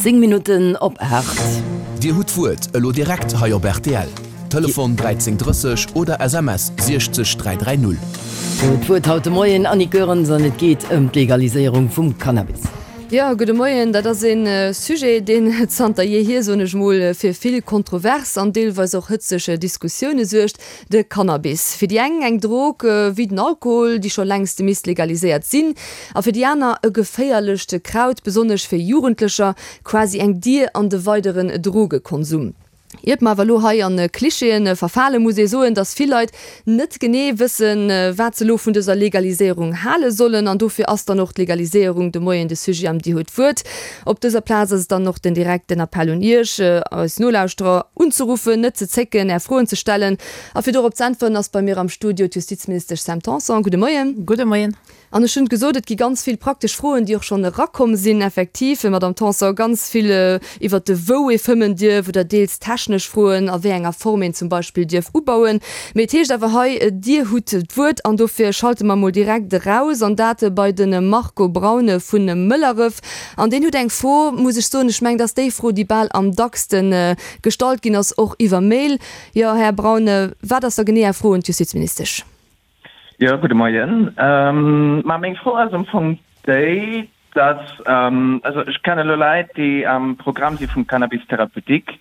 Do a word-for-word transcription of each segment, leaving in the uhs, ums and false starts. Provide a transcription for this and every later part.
Zéng Minutten op aacht. Dir hutt d'Wuert elo direkt hei op rtl. Telefon dräizéng drësseg oder S M S siechzeg dräi dräi null. Dir hutt d'Wuert haut de Moien, Annick Goerens, an et geet ëm d'Legaliséierung vum Cannabis. Jo, gudde Moien. Dat ass e Sujet, deen zanter jeehier, soen ech mol, fir vill Kontrovers an deelweis och hëtzeg Diskussioune suergt, de Cannabis. Fir déi eng eng Drog wéi den Alkohol, déi scho längst misst legaliséiert sinn, a fir déi aner e geféierlecht Kraut, besonnesch fir Jugendlecher, quasi eng Dier an de weideren Drogekonsum. Iert mer awer elo hei an Klischeeën verfalen, muss ee soen, dass vill Leit net genee wëssen, wat se elo vun dëser Legaliséierung hale sollen. An dofir ass dann och d'Legaliséierung de Moien de Sujet am Dir hutt d'Wuert. Op dëser Plaz ass et dann och den direkten Appell un Iech, eis Nolauschterer, unzeruffen, net ze zécken, Är Froen ze stellen. A fir dorop z'äntweren, ass bei mir am Studio d'Justizministesch Sam Tanson. Gudde Moien. Gudde Moien. An ech hunn gesot, et gi ganz vill praktesch Froen, déi och schonn erakomm sinn, effektiv, Madamm Tanson, ganz vill iwwert de wou ee fëmmen dierf oder deels technesch Froen, a wéi enger Form een zum Beispill dierf ubauen. Mee et heescht awer hei, Dir hutt d'Wuert an dofir schalte mer mol direkt eraus, an dat bei de Marco Braune vu Mëlleref. An deen huet eng Fro, muss ech soen, ech mengen, dat ass déi Fro, déi bal am dackste gestallt ginn ass, och iwwer Mail. Jo, Här Braune, wat ass da genee Är Fro un d'Justizministesch? Jo, gudde Moien. Ma meng Fro ass am Fong déi, dass, also ech kenne elo Leit, déi am Programm si vum Cannabis thérapeutique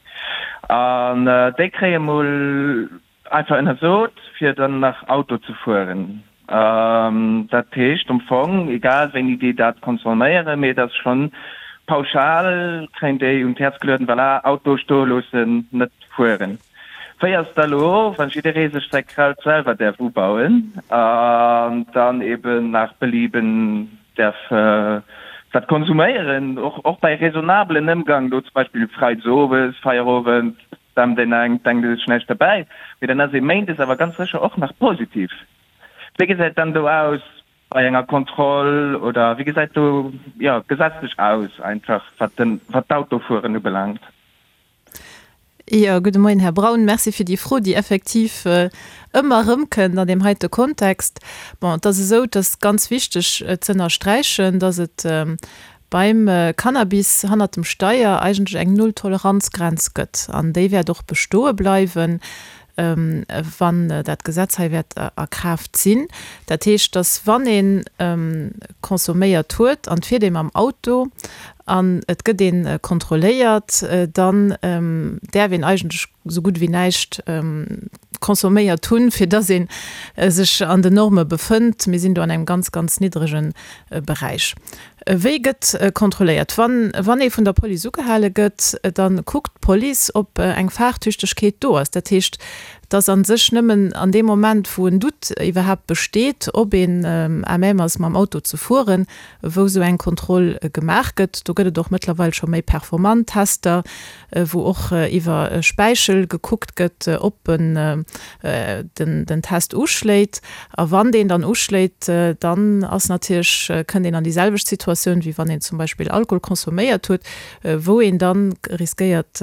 an déi kréie mol einfach ënnersot, fir dann nach Auto ze fueren. Dat heescht am Fong, egal wéini déi dat consomméieren, mee et ass schonn pauschal, kréien déi un d'Häerz gelueden, voilà, Auto stoe loossen, net fueren. Wéi ass da lo, wann jidderee sech säi Kraut selwer däerf ubauen an dann eben nach Belieben däerf dat konsuméieren, och och bei raisonnablen Ëmgang, lo zum Beispill freides owes, Feierowend, dämmt een eng, denkt ee sech näischt derbäi, mee dann ass ee méindes awer ganz sécher och nach positiv. Wéi gesäit dann do aus bei enger Kontroll oder wéi gesäit do, jo, gesetzlech aus einfach, wat den, wat d'Autofueren ubelaangt? Jo, gudde Moien, Här Braun. Merci fir déi Fro, déi effektiv ëmmer erëmkënnt an deem heite Kontext. Bon, et ass esou, et ass ganz wichteg ze ënnersträichen, dass et beim Cannabis hannert dem Steier eigentlech eng Null-Toleranz-Grenz gëtt an déi wäert och bestoe bleiwen, wann dat Gesetz hei wäert a Kraaft sinn. Dat heescht, dass wann ee consomméiert huet an et fiert ee mam Auto an et gëtt ee kontrolléiert, dann däerf een eigentlech esou gutt wéi näischt consomméiert hunn, fir dass ee sech an den Norme befënnt. Mir sinn do an engem ganz, ganz niddrege Beräich. Wéi gëtt kontrolléiert? Wann wann ee vun der Police ugehale gëtt, da kuckt d'Police, ob eng Fahrtüchtegkeet do ass. Dat heescht, et ass a sech nëmmen an deem Moment, wou en Doute iwwerhaapt besteet, ob een à même ass, mam Auto ze fueren, wou esou eng Kontroll gemaach gëtt. Do gëtt et och mëttlerweil scho méi performant Tester, wou och iwwer Späichel gekuckt gëtt, ob en den den Test uschléit. A wann deen dann uschléit, dann ass natierlech, kënnt een an déi selwecht Situatioun, wéi wann een zum Beispill Alkohol consomméiert huet, wou een dann riskéiert,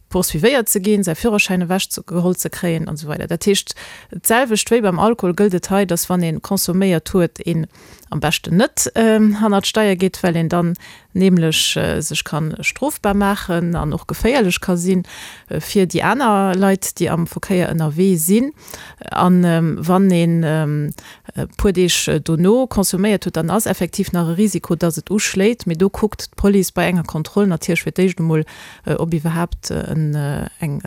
poursuivéiert ze ginn, säi Führerschäin ewech geholl ze kréien an esou weider. Dat heescht, d'selwecht wéi beim Alkohol gëllt et hei, dass wann ee consomméiert huet, een am beschten net hannert d'Steier geet, well een dann nämlech sech ka strofbar maachen an och geféierlech ka si fir déi aner Leit, déi am Verkéier ënnerwee sinn. A wann een e puer Deeg dono consomméiert huet, dann ass effektiv nach e Risiko, dass et uschléit, mee do kuckt d'Police bei enger Kontroll natierlech fir d'éischt emol, ob iwwerhaapt en eng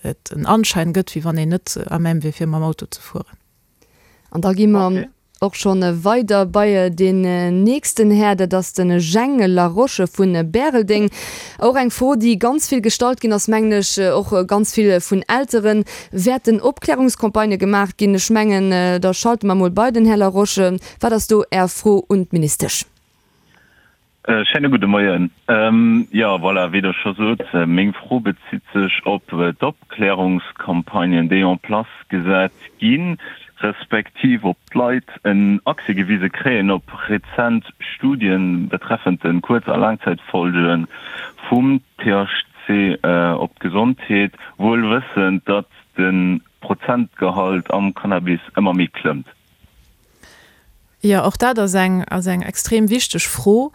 et en Anschein gëtt, wéi wann een net à même wier, fir mam Auto ze fueren. An da gi mer och schonn weider bei deen nächsten Här, dat ass de Jhang Laroche vu Bäreldeng. Och eng Fro, déi ganz vill gestallt ginn ass, mengen ech, och ganz vill vun Elteren. Wäerten Opklärungscampagnë gemaach ginn? Ech mengen, da schalte mer emol bei den Här Laroche. Wat ass do Är Fro un d'Ministesch? Schéine gudde Moien. Jo, voilà, wéi Der scho sot, meng Fro bezitt sech op d'Opklärungscampagnen, déi en place gesat ginn, respektiv ob d'Leit en Accès gewise kréien op rezent Studien betreffend de Kuerz a Laangzäitfolge vum T H C op d'Gesondheet, wuel wëssend, datt de Prozentgehalt am Cannabis ëmmer méi klëmmt. Jo, och dat ass eng, ass eng extrem wichteg Fro.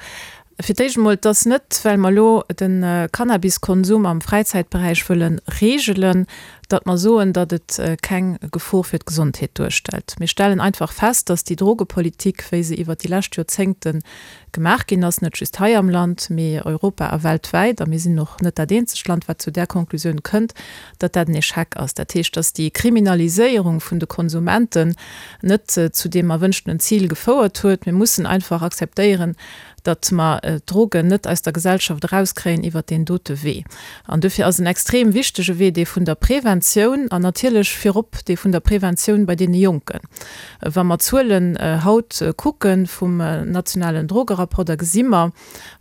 Fir d'éischt emol, et ass net, well mer elo de Cannabiskonsum am Fräizäitberäich wëlle reegelen, datt mer soen, datt et keng Gefor fir d'Gesondheet duerstellt. Mir stellen einfach fest, datt déi Drogepolitik, wéi se iwwert déi lescht Joerzéngte gemaach ginn ass, net just hei am Land, mee europa a weltwäit, a mir sinn och net dat eenzegt Land, wat zu där Konklusioun kënnt, datt dat en Echec ass. Dat heescht, datt déi Kriminaliséierung vun de Konsumenten net zu deem erwënschtenen Zil gefouert huet. Mir mussen einfach akzeptéieren, datt mer d'Drogen net aus der Gesellschaft erauskréien iwwert deen dote Wee. An dofir ass en extrem wichtege Wee dee vun der Preventioun an natierlech virop dee vun der Preventioun bei deene Jonken. Wa mer d'Zuelen haut kucke vum nationalen Drogerapport, da gesi mer,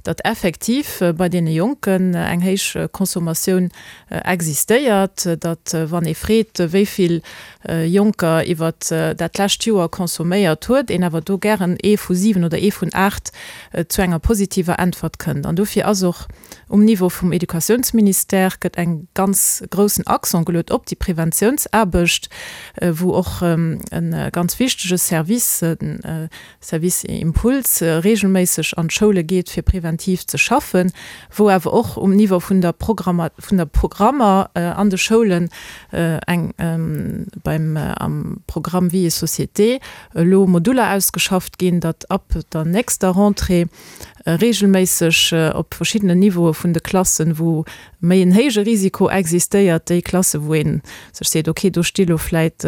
datt effektiv bei deene Jonken eng héich Consommatioun existéiert, datt wann ee freet, wéi vill Jonker iwwert dat lescht Joer consomméiert huet, een awer do gären ee vu siwen oder ee vun aacht zu enger positiver Äntwert kënnt. An dofir ass och um Niveau vum Educatiounsministère gëtt eng ganz groussen Accent geluet op déi Preventiounsaarbecht, wou och e ganz wichtege Service, de Service Impuls, regelméisseg an d'Schoule geet, fir preventiv ze schaffen, wou awer och um Niveau vun der Programmer, vun der Programmer an de Schoulen eng beim am Programm Vie et Société elo Moduler ausgeschafft ginn, datt ab der nächster Rentrée regelméisseg op verschiddenen Niveaue vun de Klassen, wou méi en héije Risiko existéiert, déi Klasse wou ee sech seet, okay, do sti lo vläit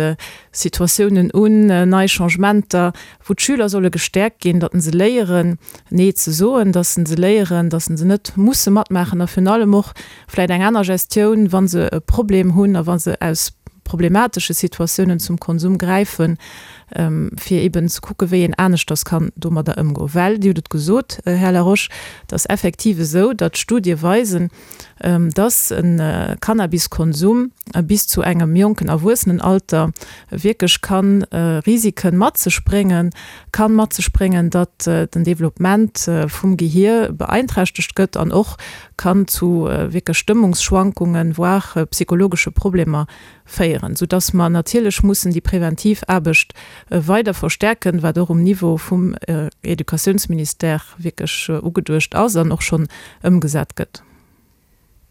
Situatiounen un, nei Changementer, wou d'Schüler solle gestäerkt ginn, datt se léieren, Nee ze soen, datt se léieren, datt se net musse matmaachen a virun allem och vläit eng aner Gestioun, wa se e Problem hunn a wa se aus problematesche Situatiounen zum Konsum gräifen, fir eben ze kucke wéi een aneschters kann domadder ëmgoen. Well, Dir hutt et gesot, Här Laroche, et ass effektiv esou, datt Studie weisen, datt e Cannabiskonsum bis zu engem jonken Erwuessenenalter wierklech ka Risike mat sech bréngen, ka mat sech bréngen, datt den Developpement vum Gehier beeinträchtegt gëtt an och kann zu wierklech Stëmmungsschwankungen, voire psychologesche Problemer féieren, soudass mer natierlech mussen déi preventiv Aarbecht weider verstärken, wat och um Niveau vum Educatiounsministère wierklech ugeduecht ass an och schonn ëmgesat gëtt.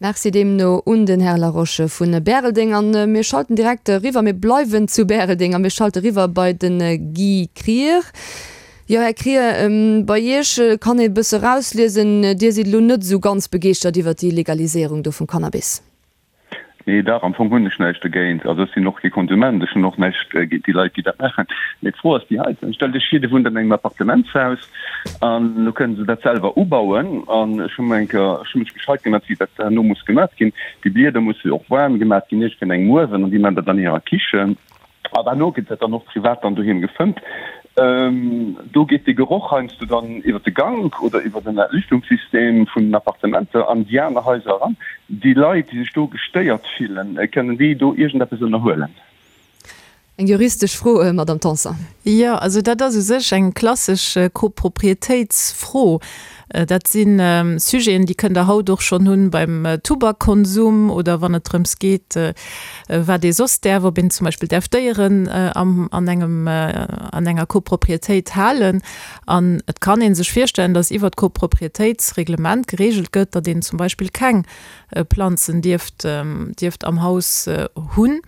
Merci deemno un den Här Laroche vu Bäreldeng. A mir schalten direkt eriwwer, mir bleiwen zu Bäreldeng a mir schalte eriwwer bei de Guy Krier. Jo, Här Krier, bei Iech kann ee bësse erausliesen, Dir sidd elo net esou ganz begeeschtert iwwert déi Legaliséierung do vum Cannabis. Nee, dach, am Fong hunn ech näischt dogéint. Also ech sinn och kee Konsument, ech hunn och näischt géint déi Leit, déi dat maachen. Mee d'Fro ass déi heiten, Stellt Iech vir, Dir wunnt an engem Appartementshaus an elo kënne se dat selwer ubauen. An ech hu mer eng Kéier, ech hu mech gescheit gemat, wéi dat herno muss gemat ginn. Déi Blieder musse jo och waarm gemat ginn, iergendwéi an engem Uewen, an déi maachen dat an hirer Kichen. An herno gëtt dat dann och privat dann doheem gefëmmt. Do geet dee Geroch heiansdo dann iwwer de Gank oder iwwer den Entlüftungssystem vun den Appartementer an déi aner Haiser eran. Déi Leit, déi sech do gestéiert fillen, kënnen déi do iergendeppes ënnerhuelen? Eng juristesch Fro, Madamm Tanson. Jo, also dat ass u sech eng klassesch Koproprietéitsfro. Dat si Sujeten, déi kënnt Der haut och schonn hunn beim Tubakkonsum oder wann et drëms geet, wat ee soss däerf, ob een zum Beispill däerf Déieren am, an engem, an enger Koproprietéit halen. An et kann ee sech virstellen, datt iwwert d'Koproprietéitsreglement geregelt gëtt, datt een zum Beispill keng Planzen dierft, dierft am Haus hunn,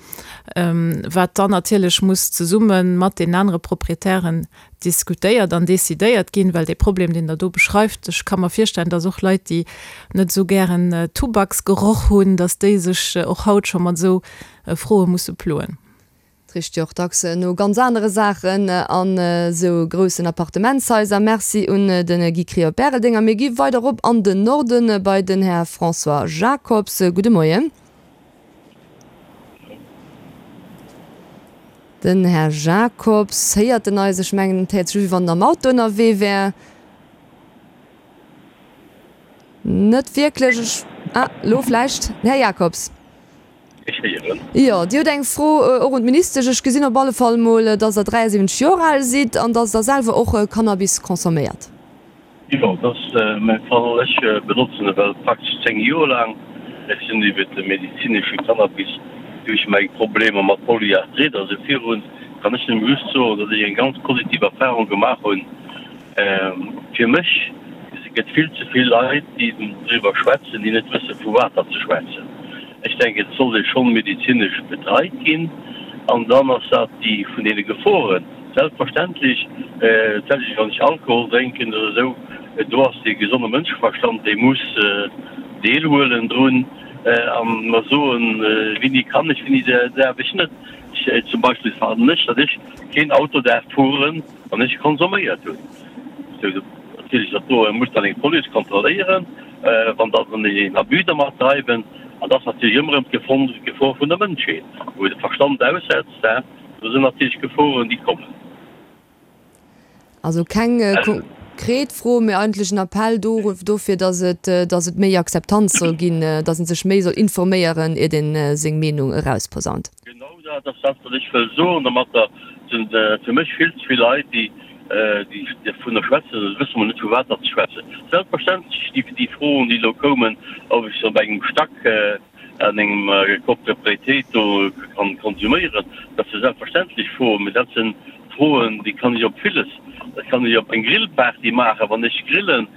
wat dann natierlech muss zesumme mat deenen anere Proprietären diskutéiert an decidéiert ginn, well dee Problem, deen Der do beschreift, ech ka mer virstellen, dass och Leit, déi net esou gären Tubaksgeroch hunn, dass déi sech och haut scho mat esou Froe musse ploen. Et richt jo och dacks no ganz anere Saachen an esou groussen Appartementshaiser. Merci un de Guy Krier op Bäreldeng. A mir gi weider erop an den Norden bei den Här François Jacobs. Gudde Moien. Den Här Jacobs, héiert en eis? Ech mengen, et héiert sech u wéi wann en am Auto ënnerwee wär. Net wierklech. Ech, ah, elo vläicht. Här Jacobs. Ech héieren. Jo, Dir hutt eng Fro och un d'Ministesch. Ech gesinn op alle Fall emol, dass Der dräiasiwwenzeg Joer al sidd an dass Der selwer och Cannabis consomméiert. Jo, dat ass mäi Fall. Ech benotzen e well praktesch zéng Joer laang. Ech sinn iwwer de medezinesche Cannabis duerch mäi Problemer mat Polyarthrite a sou virun, kann ech nëmme just soen, datt ech eng ganz positiv Erfahrung gemaach hunn. Fir mech Et gëtt vill ze vill Leit, déi driwwer schwätzen, déi net wësse vu wat datt se schwätzen. Ech denken, et sollt ee schonn medezinesch betreit ginn an dann ass dat déi vun deene Geforen selbstverständlech, d'selwecht wann ech Alkohol drénken oder esou, do ass dee gesonde Mënscheverstand, dee muss deelhuelen drun a mer soen, wéini kann ech, wéini däerf ech net. Ech zum Beispill fannen ech, datt ech keen Auto däerf fueren, wann ech consomméiert hunn. Natierlech dat do muss dann eng Police kontrolléieren, wann da se een Abus dermat dreiwen. An dat ass natierlech ëmmer erëm d'Gefor vun der Mënschheet, wou de Verstand aussetzt. Do sinn natierlech Geforen, déi kommen. Also keng konkret Fro, mee eigentlech en Appell dofir, datt et, datt et méi Akzeptanz soll ginn, datt ee sech méi soll informéieren, iert ee seng Meenung erausposaunt. Genau dat ass dat, wat ech wëll soen domatter. Et sinn fir mech vill ze vill Leit, déi déi dovunner schwätzen, da wësse mer net, vu wat datt se schwätzen. Selbstverständlech déi, déi Froen, déi elo koumen, ob ech se op engem Stack an engem Copropriété do kann konsuméieren, dat si selbstverständlech Froen, mä dat si Froen, déi kann ech op villes, dat kann ech op eng Grillparty maachen, wann ech grillen,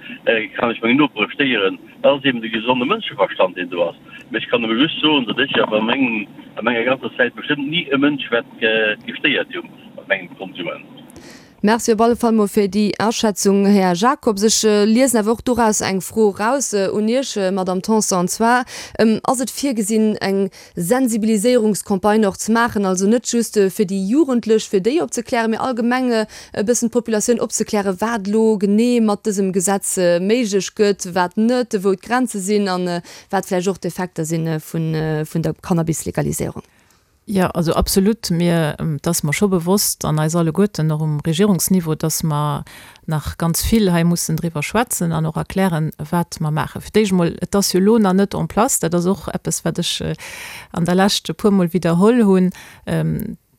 kann ech meng Nopere stéieren. Dat ass eben de gesonde Mënscheverstand, deen do ass. Mä ech kann nëmme just soen, datt ech awer a mengem, a menger ganzer Zäit bestëmmt ni e Mënsch wäert gestéiert hu mat mengem Konsument. Merci op alle Fall mol fir déi Aschätzung, Här Jacobs. Ech liesen awer och doraus eng Fro eraus un Iech, Madamm Tanson, an zwar, Ass et virgesinn, eng Sensibiliséierungscampagne och ze maachen, also net just fir déi Jugendlech, fir déi opzeklären, mee allgemeng e bëssen d'Populatioun opzeklären, wat elo genee mat dësem Gesetz méiglech gëtt, wat net, wou d'Grenze sinn a wat vläicht och d'Effekter si vun der Cannabis-Legaliséierung? Jo, also absolut. Mir, et ass mer scho bewosst an eis alleguerten, och um Regierungsniveau, dass mer nach ganz vill hei mussen driwwer schwätzen an och erklären, wat mer maachen. Fir d'éischt emol, et ass jo elo nach net en place. Dat ass och eppes, wat ech an der Lescht e puermol widderholl hunn.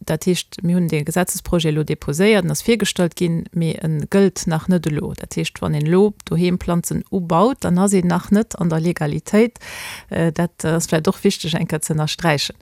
Dat heescht, mir hunn dee Gesetzesprojet elo déposéiert, en ass virgestallt ginn, mee e gëllt nach net elo. Dat heescht, wann een elo doheem Planzen ubaut, dann ass een nach net an der Legalitéit. Dat ass vläicht och wichteg eng Kéier ze ënnersträichen.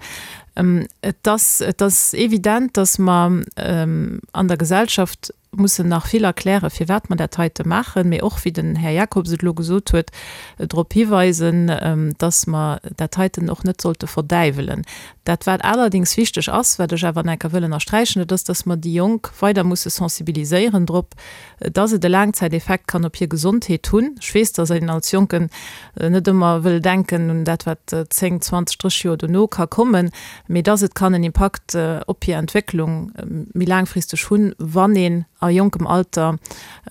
Et ass, et ass evident, dass mer an der Gesellschaft mussen nach vill erklären, firwat mer dat heite maachen, mee och, wéi den Här Jacobs et elo gesot huet, drop hiweisen, dass mer dat heiten och net sollte verdäiwelen. Dat, wat allerdéngs wichteg ass, wat ech awer nach eng Kéier wëll ënnersträichen, dat ass, dass mer déi Jonk weider musse sensibiliséieren drop, dass et e Laangzäiteffekt kann op hir Gesondheet hunn. Ech weess, dass een als Jonken net ëmmer wëll denken un dat, wat zéng, zwanzeg, drësseg Joer dono ka kommen, mee dass et kann en Impakt op hir Entwécklung méi laangfristeg hunn, wann een a jonkem Alter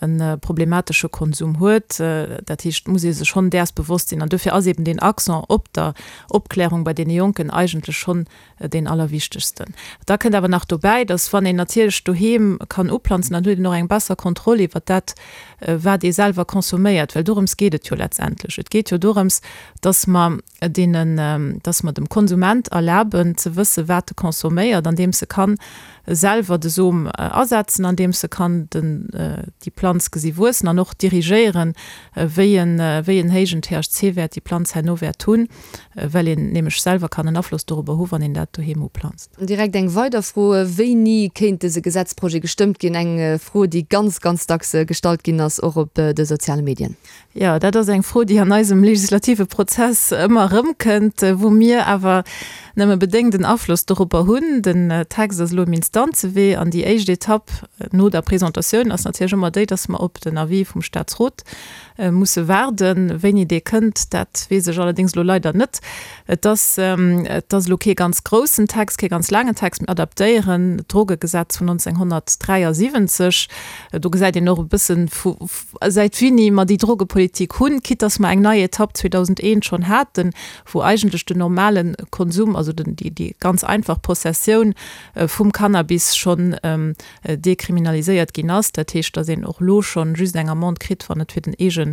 e problematesche Konsum huet. Dat heescht, et muss ee sech schonn däers bewosst sinn. An dofir ass eben deen Accent op der Opklärung bei deene Jonken eigentlech schonn deen allerwichtegsten. Da kënnt awer nach dobäi, dass wann een natierlech doheem kann uplanzen, dann huet een och eng besser Kontroll iwwert dat, wat ee selwer consomméiert, well dorëms geet et jo letztendlech. Et geet jo dorëms, dass mer deenen, dass mer dem Konsument erlaben ze wësse wat e consomméiert, andeems e kann selwer de Som asetzen, andeems e kann den, déi Planz gesi wuessen an och dirigéieren, wéi en, wéi en héijen T H C-Wäert déi Planz herno wäert hunn, well een nämlech selwer kann en Afloss dorobber hu wann een dat doheem uplanzt. Direkt eng weider Fro, Wéini kéint dëse Gesetzprojet gestëmmt ginn? Eng Fro, déi ganz, ganz dacks gestallt ginn ass, och op de soziale Medien. Jo, dat ass eng Fro, déi an eisem legislative Prozess ëmmer erëmkënnt, wou mir awer nëmme bedéngt en Afloss dorobber hunn. Den Text ass elo um Instanzewee an déi éischt Etapp no der Presentatioun ass natierlech ëmmer déi, dass mer op den Avis vum Statsrot musse waarden. Wéini dee kënnt, dat weess ech allerdéngs elo leider net. Et ass, et ass elo kee ganz groussen Text, kee ganz laangen Text. Mir adaptéieren d'Drogegesetz vun neunzehnhundertdräiasiwwenzeg. Do gesäit een och e bëssen, vu säit wéini mer déi Drogepolitik hunn, quitte dass mer eng nei Etapp zweedausendeent schonn haten, wou eigentlech den normale Konsum, also den, déi, déi ganz einfach Possessioun vum Cannabis schonn dekriminaliséiert ginn ass. Dat heescht, dass een och elo schonn just eng Amende kritt, wann et fir den eege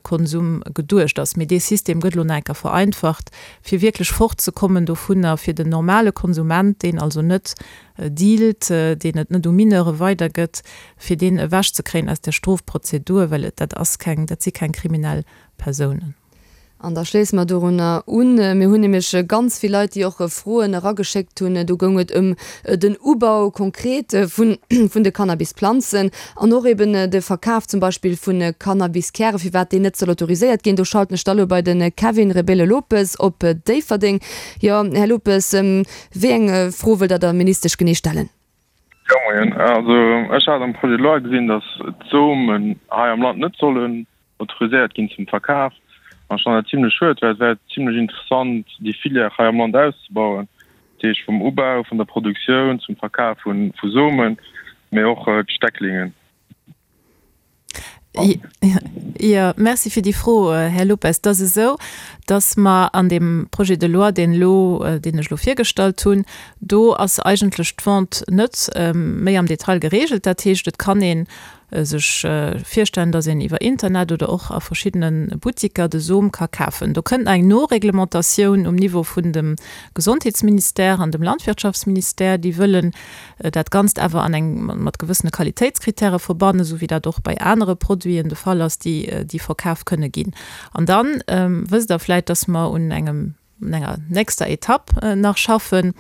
Konsum geduecht ass. Mee dee System gëtt elo nach eng Kéier vereinfacht, fir wierklech fortzekommen dovunner, fir den normale Konsument, deen also net dealt, deen et net u Mineure weidergëtt, fir deen ewechzekréien aus der Strofprozedur, well et dat ass keng, dat si keng kriminell Persounen. An da schléisse mer dorunner un. Mir hunn nämlech ganz vill Leit, déi och Froen erageschéckt hunn. Do goung et ëm den Ubau konkret vun de Cannabisplanzen an och eben de Verkaf zum Beispill vu Cannabiskären, firwat deen net soll autoriséiert ginn. Do schalten ech da elo bei de Kevin Rebelo Lopes op Déifferdeng. Jo, Här Lopes, wéi eng Fro wëllt Der der Ministesch genee stellen? Jo, moien. Also ech hat am Projet de loi gesinn, datt d'Somen hei am Land net sollen autoriséiert ginn zum Verkaf. An ech fannen dat zimlech schued, well et wär zimlech interessant, déi Filière hei am Land auszebauen, dat heescht vum Ubau, vun der Produktioun zum Verkaf vu Somen, mee och d'Stecklingen. Jo, merci fir déi Fro, Här Lopes. Et ass esou, datt mer an deem Projet de loi, deen elo, deen ech elo virgestallt hunn, do ass eigentlech d'Vente net méi am Detail geregelt. Dat heescht, et kann ee sech virstellen, datt een iwwer Internet oder och a verschiddene Buttiker de Som ka kafen. Do kënnt nach eng Noreglementatioun um Niveau vun dem Gesondheetsministère an dem Landwirtschaftsministère, déi wëllen dat Ganzt awer an eng mat gewëssene Qualitéitskritäre verbannen, esou wéi dat och bei anere Produiten de Fall ass, déi déi verkaf kënne ginn. An da wësst Der vläicht, datt mer un engem un enger nächster Etapp nach schaffen,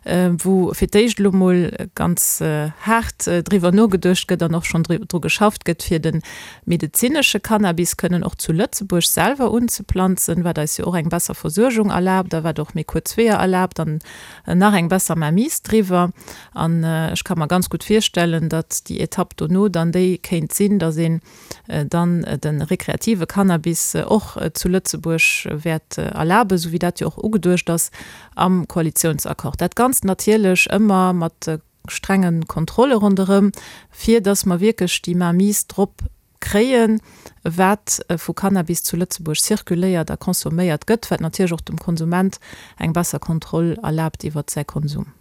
wou fir d'éischt elo mol ganz haart driwwer nogeduecht gëtt an och schonn dru geschafft gëtt, fir de medezinesche Cannabis kënnen och zu Lëtzebuerg selwer unzeplanzen, wat eis jo och eng besser Versuergung erlaabt a wat och méi kuerz Weeër erlaabt an nach eng besser Mainmise driwwer. An ech ka mer ganz gutt virstellen, datt déi Etapp dono dann déi kéint sinn, datt een dann de rekreative Cannabis och zu Lëtzebuerg wäert erlaben, esou wéi dat jo och ugeduecht ass am Koalitionsaccord. Dat Ganzt natierlech ëmmer mat strenge Kontrolle ronderëm, fir datt mer wierklech déi Mainmise drop kréien, wat vu Cannabis zu Lëtzebuerg zirkuléiert a consomméiert gëtt, wat natierlech och dem Konsument eng besser Kontroll erlaabt iwwert säi Konsum.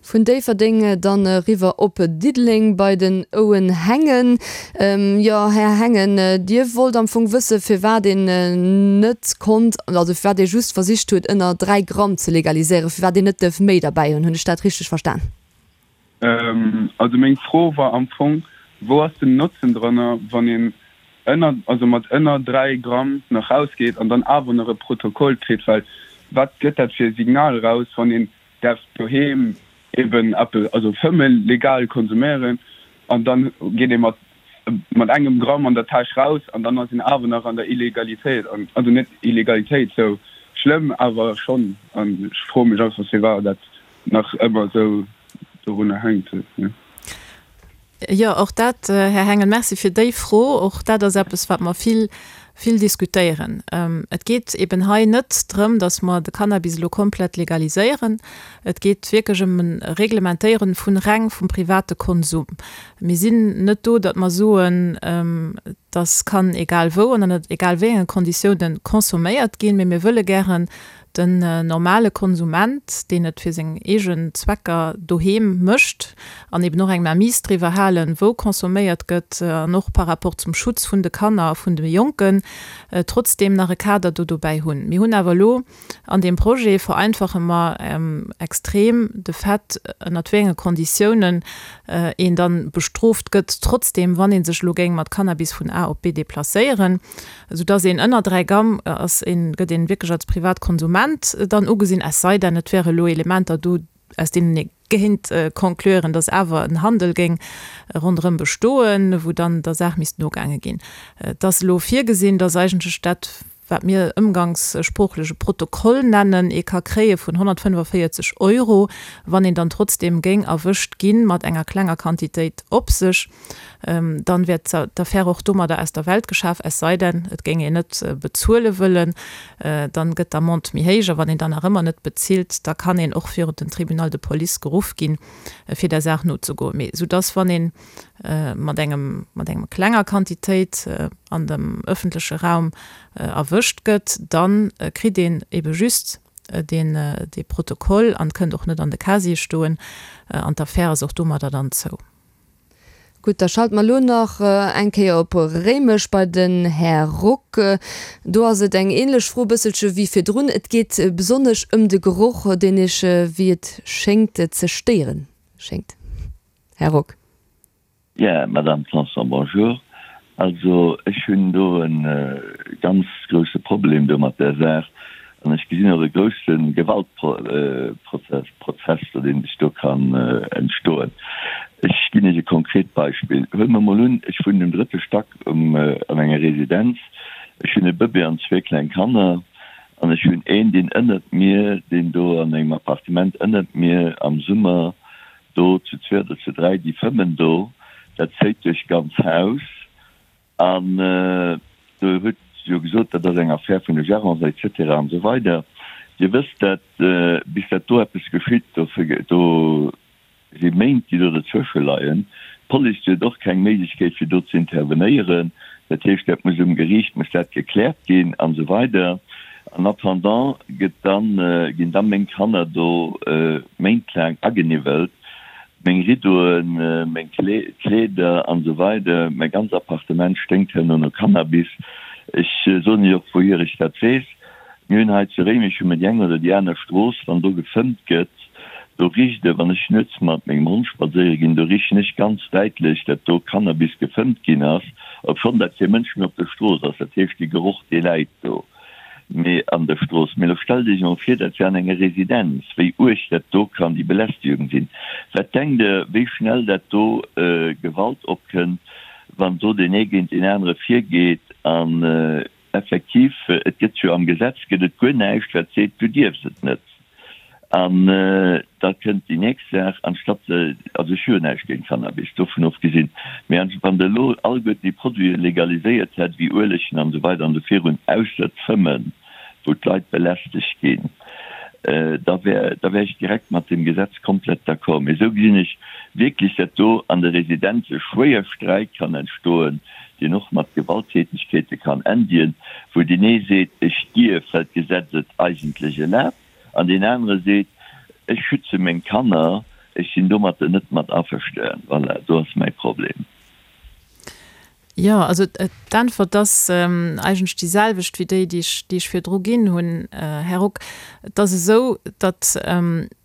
Vun Déifferdeng dann eriwwer op Diddeleng bei den Owen Hengen. Jo, Här Hengen, Dir wollt am Fong wësse firwat een net konnt, also firwat ee just versicht huet ënner dräi Gramm ze legaliséieren, firwat een net duerf méi derbäi hunn. Hunn ech dat richteg verstan? Also meng Fro war am Fong, wou ass den Notzen drënner, wann een ënner, also mat ënner dräi Gramm nach rausgeet an dann awer nach e Protokoll kritt? Well wat gëtt dat fir e Signal raus, wann een däerf doheem eben eppes, also fëmmen, legal konsuméieren an dann geet ee mat mat engem Gramm an der Täsch raus an dann ass een awer nach an der Illegalitéit an, also net Illegalitéit sou schlëmm, awer schonn an ech froe mech einfach firwat dat nach ëmmer sou dorunner hänkt. Jo, och dat, Här Hengen, Merci fir déi Fro. Och dat ass eppes, wat mer vill, vill diskutéieren. Et geet eben hei net drëm, datt mer de Cannabis elo komplett legaliséieren. Et geet wierklech ëm e Reglementéieren vun reng vum private Konsum. Mir sinn net do, datt mer soen, dass kann egal wou an ënnert egal wéi enge Konditiounen consomméiert ginn, mee mir wëlle gären Den normale Konsument, deen et fir seng eegen Zwecker doheem mécht an eben och eng Mainmise driwwer halen, wou consomméiert gëtt an och par rapport zum Schutz vun de Kanner a vun de Jonken, trotzdeem nach e Kader do dobäi hunn. Mir hunn awer elo an deem Projet, vereinfache mer extrem de Fait, ënnert wéi enge Konditiounen een dann bestrooft gëtt, trotzdeem, wann ee sech elo géing mat Cannabis vun A op B deplacéieren. Esou dass een ënner dräi Gramm ass een, gëtt een wierklech als Privatkonsument dann ugesinn, es sei denn et wäre elo Elementer do, aus deenen ee géint conclure, dass awer en Handel géing ronderëm bestoen, wou dann der Saach misst nogaange ginn. Et ass elo virgesinn, dass eigentlech dat, wat mir ëmgangssproochlech e Protokoll nennen, ee ka kréie vun honnertfënnefaféierzeg Euro, wann een dann trotzdeem géing erwëscht gi mat enger klenger Quantitéit op sech. Dann wär d'Affär och domadder aus der Welt geschaf, es sei denn, et géing een net bezuele wëllen. Dann gëtt d'Amende méi héich. A wann een dann nach ëmmer net bezilt, da kann een och virun den Tribunal de police geruff ginn, fir der Saach nozegoen. Mee soudass, wann ee mat engem, mat engem klenger Quantitéit an dem öffentleche Raum erwëscht gëtt, da kritt een ebe just deen, dee Protokoll an kënnt och net an de Casier stoen. An d'Affär ass och domadder dann zou. Gutt, da schalte mer elo nach eng Kéier op Réimech bei den Här Rock. Do ass et eng ähnlech Fro bësselche wéi virdrun. Et geet besonnesch ëm de Geroch, deen Iech, wéi et schéngt, ze stéiere schéngt. Här Rock. Bien, Madame Tanson, bonjour. Also ech hunn do e ganz grousse Problem do mat där Saach an ech gesinn och e grousse Gewaltprozess, Prozess do, deen sech do kann entstoen. Ech ginn Iech e konkret Beispill. Huele mer mol un, ech wunnen um drëtte Stack um an enger Residenz, ech hunn e Bëbee an zwee kleng Kanner an ech hunn een, deen ënnert mir, deen do an engem Appartement ënnert mir am Summer do zu zwee oder zu dräi, déi fëmmen do, dat zéit duerch d'ganz Haus. An Der hutt jo gesot, dat ass eng Affär vun de Gérants et cetera an esou weider. Dir wësst, dat bis dat do eppes geschitt, do si Méint, déi do dozwësche leien. D'Police, déi huet och keng Méiglechkeet, fir do ze intervenéieren. Dat heescht, dat muss um Geriicht muss dat gekläert ginn an esou weider. En attendant gëtt dann, ginn da meng Kanner do méintlaang ageniwwelt. Meng Riddoen, meng Kleeder an esou weider, mäi ganz Appartement sténkt herno no Cannabis. Ech soen Iech och wouhier ech dat weess. Mir hunn hei zu Réimech hu mir déi eng oder déi aner Strooss, wann do gefëmmt gëtt, do richt e, wann ech nuets mat mengem Hond spadséiere ginn, do richen ech ganz däitlech, dat do Cannabis gefëmmt ginn ass, obschonn dat kee Mënsch méi op der Strooss ass. Dat heescht, dee Geroch, dee läit do. Mee an der Strooss. Mee elo stellt Iech emol vir, dat wär an enger Residenz, wéi uerg dat do kann déi Belästegung sinn. Wat denkt Der, wéi schnell dat do Gewalt opkënnt, wann do deen ee géint deen anere virgeet? An effektiv, et gëtt jo am Gesetz gëtt et guer näischt, wat seet, du dierfs et net. An da kënnt déi nächst Saach, anstatt, also ech hu jo näischt géint Cannabis, dovun ofgesinn, mee wann Der elo alleguerten déi Produite legaliséiert hätt, wéi Uelegen an esou weider an esou virun, ausser d'Fëmmen, wou d'Leit belästegt ginn, da wär, da wär ech direkt mat deem Gesetz komplett d'accord. Mee esou gesinn ech wierklech, dat do an de Residenze schwéier Sträit kann entstoen, deen och mat Gewalttätigkeete kann endien, wou deen ee seet, ech dierf, well d'Gesetz et eigentlech erlaabt, An deen anere seet, Ech schütze meng Kanner, ech sinn domatter net mat averstanen. Voilà, do ass mäi Problem. Jo, also d'Äntwert ass eigentlech déi selwecht wéi déi, déi ech, déi ech virdru ginn hunn, Här Ruck. Et ass esou, datt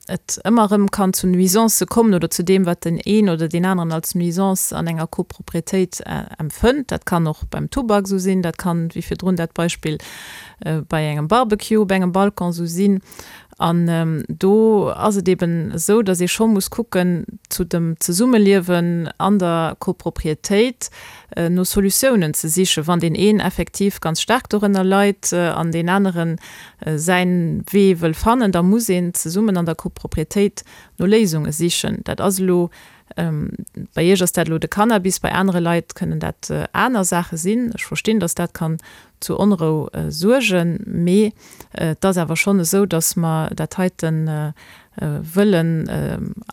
et ëmmer erëm kann zu Nuisancë kommen oder zu deem, wat den een oder deen aneren als Nuisance an enger Copropriétéit empfënnt. Dat kann och beim Tubak esou sinn, dat kann, wéi virdrun dat Beispill, bei engem Barbecue op engem Balcon esou sinn. An do ass et eben esou, datt ee scho muss kucken, zu dem Zesummeliewen an der Copropriétéit no Solutiounen ze sichen, wann deen een effektiv ganz staark dorënner leit an deen anere säin Wee wëll fannen, da muss een zesummen an der Copropriétéit no Léisunge sichen. Dat ass elo, bei Iech ass dat elo de Cannabis, bei anere Leit kënnen dat aner Saache sinn. Ech verstinn, datt dat kann zu Onrou suergen, mee et ass awer schonn esou, datt mer dat heite wëllen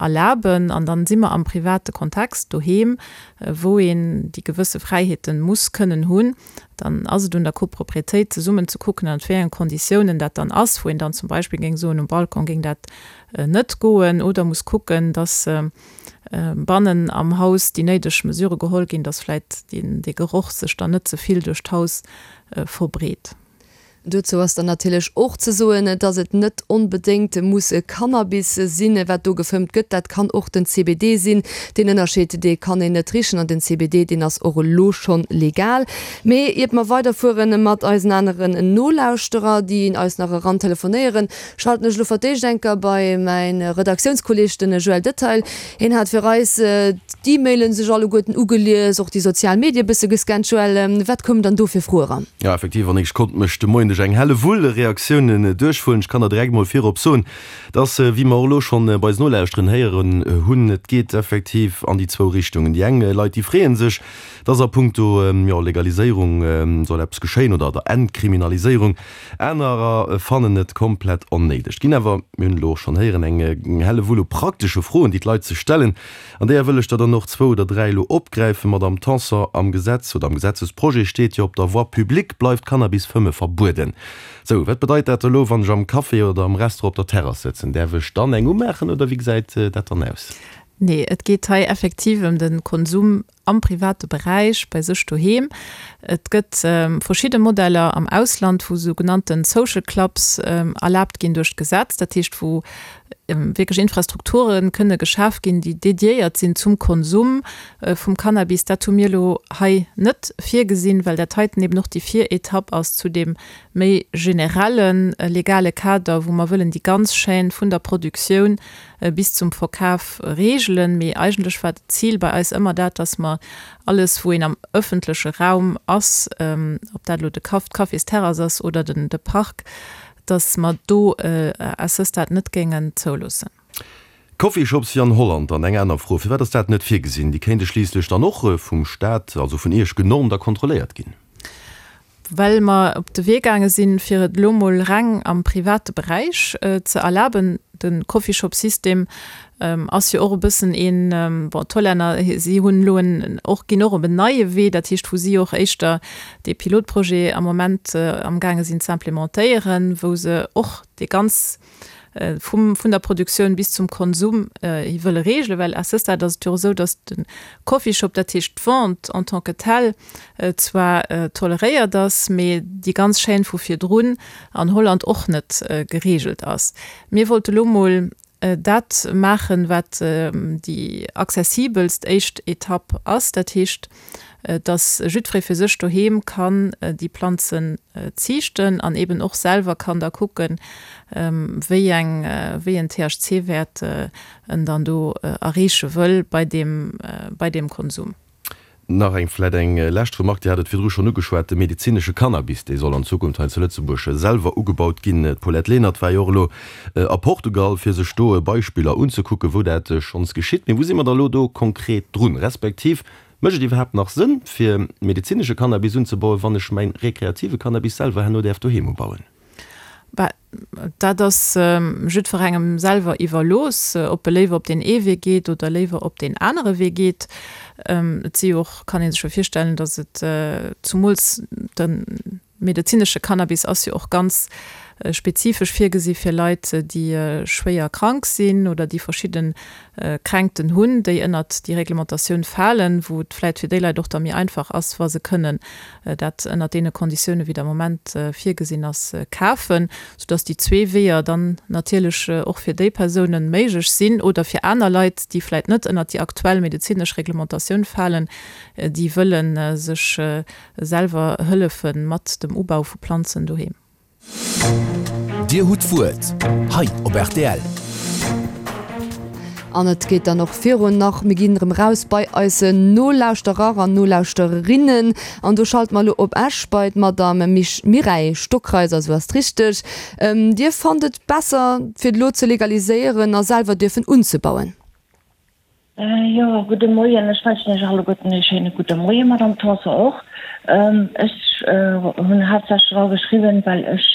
erlaben. An dann si mer am private Kontext doheem, wou een déi gewësse Fräiheete muss kënnen hunn. Dann ass et un der Copropriétéit zesummen ze kucken, ënnert wéi engen Konditiounen dat dann ass, wou een dann zum Beispill géing soen, um Balcon géing dat net goen, oder muss kucken, datt bannen am Haus déi néideg Mesurë geholl ginn, datt vläicht dee Geroch sech dann net ze vill duerch d'Haus verbreet. Dozou ass dann natierlech och ze soen, dass et net onbedéngt muss Cannabis sinn, wat do gefëmmt gëtt. Dat kann och den C B D sinn. Deen Ënnerscheed, dee kann een net richen. An den C B D, deen ass och elo schonn legal. Mee iert mer weiderfuere mat eisen aneren Nolauschterer, déi eis nach eran telefonéieren, schalten ech elo fir d'éischt eng Kéier bei mäin Redaktiounskolleeg, den Joël Detail. Hien hat fir eis d'E-Mailen sech alleguerten ugelies, och déi sozial Medie bësse gescannt. Joël, wat koum dann do fir Froe eran? Jo, effektiv, Annick, ech konnt mech de Moien duerch eng Hellewull Reaktiounen duerchwullen. Ech kann der direkt mol virop soen, dass, wéi mer och elo schonn bei eisen Nolauschteren héieren hunn, et geet effektiv an déi zwou Richtungen. Déi eng Leit, déi freeë sech, dass a punkto, jo, Legaliséierung soll eppes geschéien oder der Entkriminaliséierung. Anerer fannen et komplett onnéideg. Et ginn awer, mir hunn et elo och schonn héieren, eng Hellewull u praktesche Froen, déi d'Leit sech stellen. An deeër wëll ech der dann och zwou oder dräi elo opgräifen. Madamm Tanson, am Gesetz oder am Gesetzesprojet steet jo, op der Voie publique bleift Cannabis-Fëmme verbueden. Sou, wat bedeit dat elo, wann ech am Café oder am Restaurant op der Terrass sëtzen? Däerf ech dann eng umaachen oder wéi gesäit dat dann aus? Nee, et geet hei effektiv ëm de Konsum am private Beräich bei sech doheem. Et gëtt verschidde Modeller am Ausland, wou sou genannten Social Clubs erlaabt ginn duerch d'Gesetz, dat heescht wou wierklech Infrastrukture kënne geschaf ginn, déi dediéiert sinn zum Konsum vum Cannabis. Dat hu mir elo hei net virgesinn, well dat heiten eben och déi Viretapp ass zu deem méi generelle legale Kader, wou mer wëllen déi ganz Chaîne vun der Produktioun bis zum Verkaf reegelen. Mee eigentlech war d'Zil bei eis ëmmer dat, dass mer alles, wou een am ëffentleche Raum ass, ob dat elo de Caf, d'Cafésterrass ass oder den, de Park, dass mer do à ce stade net géingen zouloossen. Coffeeshops wéi an Holland? Dann eng aner Fro, Firwat ass dat net virgesinn? Déi kéinte schliisslech dann och vum Staat, also vun Iech, genormt a kontrolléiert ginn. Well mer op de Wee gaange sinn, fir et elo mol reng am private Beräich ze erlaben. De Coffeeshop-System ass jo och e bëssen een, bon, d'Hollänner, si hunn elo en, och, ginn och op en neie Wee, dat heescht, wou si och éischter dee Pilotprojet am Moment amgaange sinn ze implementéieren, wou se och dee ganz vum, vun der Produktioun bis zum Konsum hi wëlle regelen, well à ce stade ass et jo och esou, datt de Coffeeshop, dat heescht d'Vente en tant que telle, zwar toleréiert ass, mee déi ganz Chaîne vu virdrun an Holland och net geregelt ass. Mir wollte lo mol dat maachen, wat déi accessibelst éischt Etapp ass, dat heescht, dass jiddweree fir sech doheem kann déi Planzen ziichten an eben och selwer kann da kucken, wéi eng, wéi en T H C-Wäert en dann do erreeche wëll bei deem, bei deem Konsum. Nach eng, vläicht eng lescht Remarque, Dir hat et virdru schonn ugeschwat, de medezinesche Cannabis, dee soll an Zukunft hei zu Lëtzebuerg selwer ugebaut ginn. D'Paulette Lenert war jo och elo a Portugal, fir sech do Beispiller unzekucken, wou dat schonns geschitt. Mee wou si mer da elo do konkret drun? Respektiv, mécht et iwwerhaapt nach Sënn, fir medezinesche Cannabis unzebauen, wann ech mäin rekreative Cannabis selwer herno däerf doheem ubauen? Bah, dat ass jiddwerengem selwer iwwerlooss, ob e léiwer op deen ee Wee geet oder léiwer op deen anere Wee geet. Et si jo och, kann ee sech jo virstellen, datt et zumools de medezinesche Cannabis ass jo och ganz spezifesch virgesi fir Leit, déi schwéier krank sinn oder déi verschidde Kränkten hunn, déi ënnert déi Reglementatioun falen, wou et vläicht fir déi Leit och da méi einfach ass, wa se kënnen dat ënnert deene Konditiounen, wéi et am Moment virgesinn ass, kafen, soudass déi zwee Weeër dann natierlech och fir déi Persounen méiglech sinn oder fir aner Leit, déi vläicht net ënnert déi aktuell medezinesch Reglementatioun falen, déi wëlle sech selwer hëllefe mat dem Ubau vu Planzen doheem. Dir hutt d'Wuert hei op rtl. An et geet dann och virun nach. Mir ginn erëm raus bei eise Nolauschterer an Nolauschterinnen. An do schalte mer elo op Esch bei d'Madame Mireille Stockreiser, esou ass et richteg. Dir fannt et besser, fir et elo ze legaliséieren a selwer dierfen unzebauen? Jo, gudde Moien. Ech wënschen Iech alleguerten ee schéine gudde Moien, Madame Tanson och. Ech hunn haaptsächlech dra geschriwwen, well ech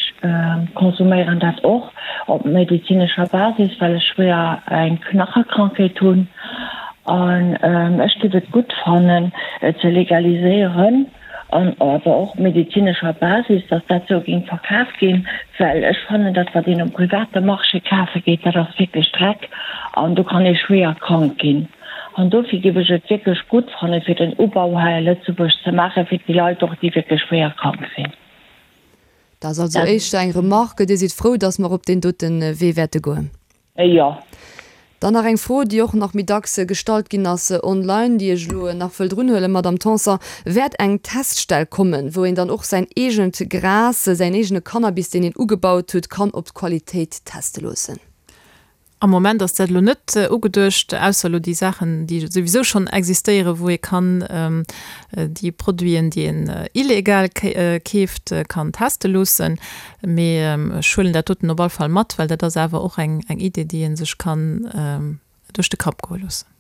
konsuméieren dat och op medezinescher Basis, well ech schwéier eng Knachekrankheet hunn. An ech géif et gutt fannen, et ze legaliséieren an awer och op medezinescher Basis, dass dat sou géing verkaf ginn, well ech fannen, dat wat een um private Marché kafe geet, dat ass wierklech Dreck an do kann ee schwéier krank ginn. An dofir géif ech et wierklech gutt fannen, fir den Ubau hei a Lëtzebuerg ze maachen, fir déi Leit och, déi wierklech schwéier krank sinn. Dat ass also éischter eng Remarque. Dir sidd frou, dass mer op deen dote Wee wäerte goen? Jo. Dann nach eng Fro, déi och nach méi dacks gestallt ginn ass online, déi ech elo nach wëll drunhuelen, Madamm Tanson, Wäert eng Teststell kommen, wou een dann och säin eegent Gras, säin eegene Cannabis, deen een ugebaut huet, kann op d'Qualitéit teste loossen? Am Moment ass dat elo net ugeduecht, ausser elo déi Saachen, déi souwisou schonn existéieren, wou ee kann déi Produiten, déi een illegal keeft, kann teste loossen. Mee ech huelen dat doten op all Fall mat, well dat ass awer och eng Idee, déi ee sech kann duerch de Kapp goe loossen.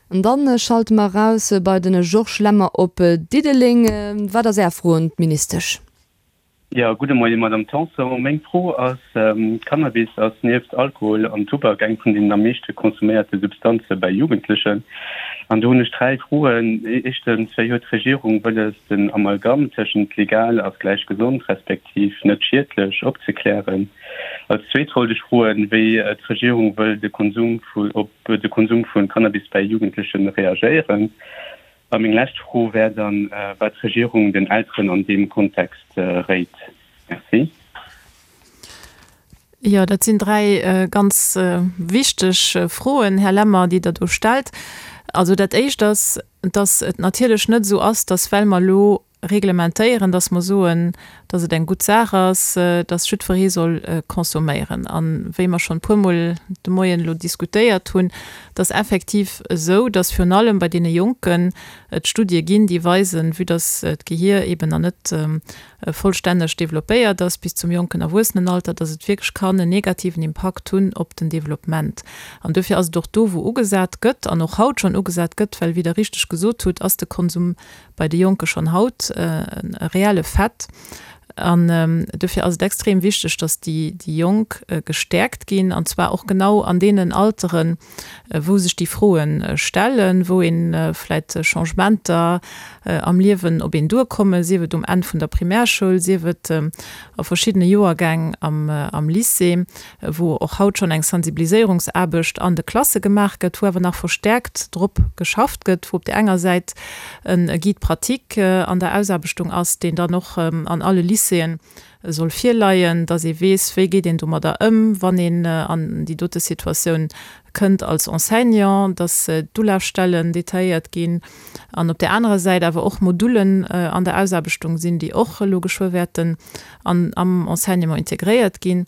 An dann schalte mer eraus bei de Georges Lemmer op Diddeleng. Wat ass Är Fro un d'Ministesch? Jo, gudde Moien, Madamm Tanson. Meng Fro ass, Cannabis ass nieft Alkohol an Tubak eng vun deenen am meeschte konsuméierte Substanze bei Jugendlechen. An do hunn ech dräi Froen. Éischtens, wéi huet d'Regierung wëlles, den Amalgam tëschent legal ass gläich gesond respektiv net schiedlech opzeklären? Als zweet wollt ech froen, wéi d'Regierung wëll de Konsum vu op de Konsum vu Cannabis bäi Jugendleche reagéieren. A meng lescht Fro wär dann, wat d'Regierung den Elteren an deem Kontext réit. Merci. Jo, dat sinn dräi ganz wichteg Froen, Här Lemmer, déi Der do stellt. Also dat Éischt ass, dass et natierlech net esou ass, dass, well mer elo reglementéieren, dass mer soen, dass et eng gutt Saach ass, dass jiddweree soll consomméieren. A wéi mer schonn e puermol de Moien elo diskutéiert hunn, et ass effektiv esou, dass virun allem bei deene Jonken et Studie ginn, déi weisen, vue dass d'Gehier eeben nach net vollstänneg developpéiert ass bis zum jonken Erwuessenenalter, dass et wierklech kann en negativen Impakt hunn op den Developpement. An dofir ass et och do, wou ugesat gëtt an och haut schonn ugesat gëtt, well wéi Der richteg gesot hutt, ass de Konsum bei de Jonke schonn haut e reelle Fait. An dofir ass et extrem wichteg, dass déi Jonk gestäerkt ginn, an zwar och genau an deenen Alteren, wou sech déi Froe stellen, wou ee vläicht Changementer am Liewen op een duerkommen, sief et um Enn vun der Primärschoul, sief et a verschiddene Joergäng am Lycée, wou och haut schonn eng Sensibiliséierungsaarbecht an de Klasse gemaach gëtt, wou awer nach verstäerkt drop geschafft gëtt, wou op där enger Säit e Guide pratique an der Ausaarbechtung ass, deen dann och an alle Lycéeën soll virleien, dass ee weess, wéi geet een domadder ëm, wann een an déi dote Situatioun kënnt als Enseignant, dass d'Ulafstellen detailléiert ginn an op där anerer Säit awer och Modullen an der Ausaarbechtung sinn, déi och elo geschwë wäerten an am Enseignement integréiert ginn,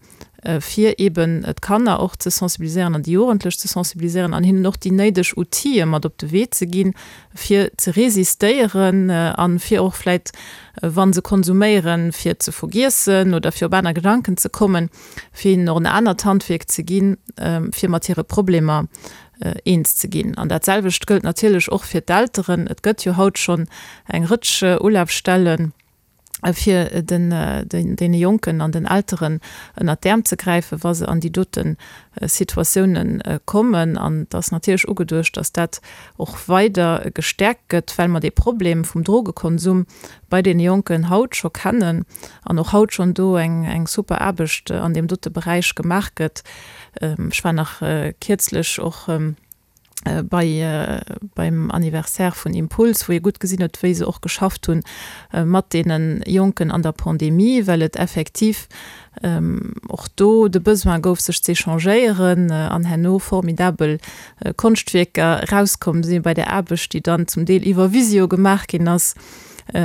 fir eeben d'Kanner och ze sensibiliséieren an déi Jugendlech ze sensibiliséieren an hinnen och déi néideg Outile mat op de Wee ze ginn, fir ze resistéieren a fir och vläicht, wa se konsuméieren, fir ze vergiessen oder fir op aner Gedanken ze kommen, fir hinnen och en anert Handwierk ze ginn, fir mat hire Problemer eens ze ginn. An dat selwecht gëllt natierlech och fir d'Elteren. Et gëtt jo haut schonn eng Rëtsch Ulafstellen, fir den deene Jonken an den Elteren ënnert d'Äerm ze gräifen, wa se an déi dote Situatiounen kommen. An et ass natierlech ugeduecht, dass dat och weider gestäerkt gëtt, well mer dee Problem vum Drogekonsum bei deene Jonken haut scho kennen an och haut schonn do eng super Aarbecht an deem dote Beräich gemaach gëtt. Ech war nach kierzlech och bei beim Anniversaire vun Impuls, wou ee gutt gesinn huet, wéi se och geschafft hunn mat deene Jonken an der Pandemie, well et effektiv och do de Besoin gouf, sech z'échangéieren an herno formidabel Konschtwierker erauskomm si bei där Aarbecht, déi dann zum Deel iwwer Visio gemaach ginn ass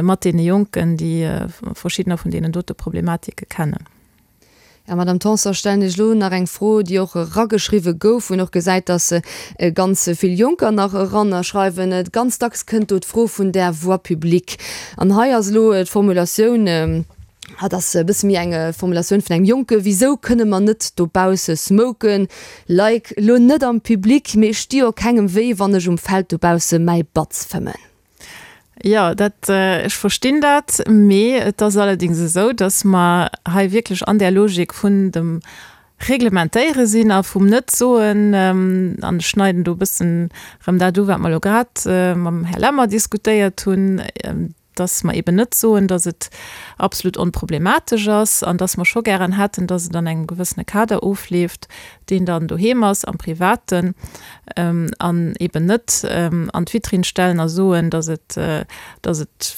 mat deene Jonken, déi verschiddener vun deenen dote Problematike kennen. Ja, Madame Tanson, stellen ech elo nach eng Fro, déi och erageschriwwe gouf, wou een och gesäit, dass ganz vill Jonker nach erannerschreiwen. Ganz dacks kënnt do d'Fro vun där Voie publique. An hei ass elo d'Formulatioun, dat ass e bësse méi eng Formulatioun vun engem Jonke, Wisou kënne mer net dobausse smoken? Like, elo net am Public, mee ech sti jo kengem wéi, wann ech um Feld dobausse mäi Batz fëmmen. Jo, dat, ech verstinn dat, mee et ass allerdéngs esou, datt mer hei wierklech an där Logik vun dem Reglementéiere sinn a vum net soen, an ech schneiden do e bëssen erëm dat u wat mer elo grad mam Här Lemmer diskutéiert hunn, datt mer eben net soen, datt et absolut onproblematesch ass an datt mer scho gären hätten, datt et an engem gewëssene Kader ofleeft, deen dann doheem ass, am Privaten, an eben net an d'Vitrinn stellen a soen, datt et, datt et